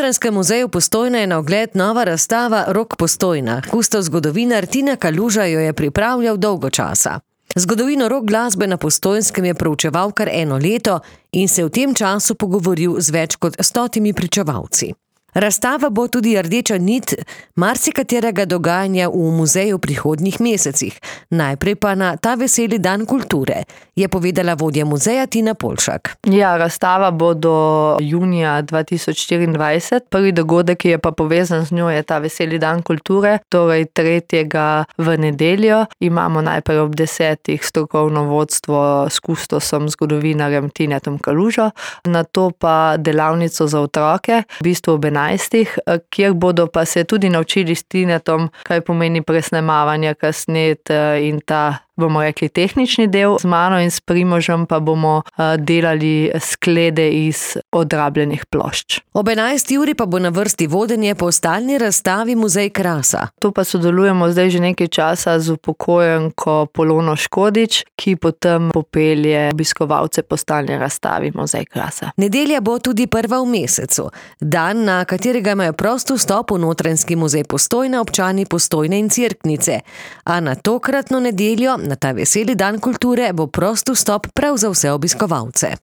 Notranjskem muzeju Postojna je na ogled nova razstava Rok Postojna. Kustov zgodovinar Tina Kaluža jo je pripravljal dolgo časa. Zgodovino rock glasbe na Postojnskem je proučeval kar 1 leto in se v tem času pogovoril z več kot 100 pričevalci. Razstava bo tudi rdeča nit marsikaterega dogajanja v muzeju v prihodnjih mesecih. Najprej pa na ta veseli dan kulture, je povedala vodja muzeja Tina Polšak. Ja, razstava bo do junija 2024. Prvi dogodek, ki je pa povezan z njo, je ta veseli dan kulture, torej 3. v nedeljo. Imamo najprej ob 10. strokovno vodstvo s kustosom, zgodovinarjem Tinetom Kalužo, nato pa delavnico za otroke, v bistvu ob 11. kjer bodo pa se tudi naučili s Tinetom, kaj pomeni presnemavanje, kasnet in ta, bomo rekli, tehnični del. Z mano in s Primožem pa bomo delali sklede iz odrabljenih plošč. Ob 11. uri pa bo na vrsti vodenje po stalni razstavi Muzej krasa. Tu pa sodelujemo zdaj že nekaj časa z upokojenko Polono Škodič, ki potem popelje obiskovalce po stalni razstavi Muzej krasa. Nedelja bo tudi prva v mesecu, dan, na katerega imajo prost vstop v Notranjski muzej Postojna občani Postojne in Cerknice. A na tokratno nedeljo, na ta veseli dan kulture, bo prost vstop prav za vse obiskovalce.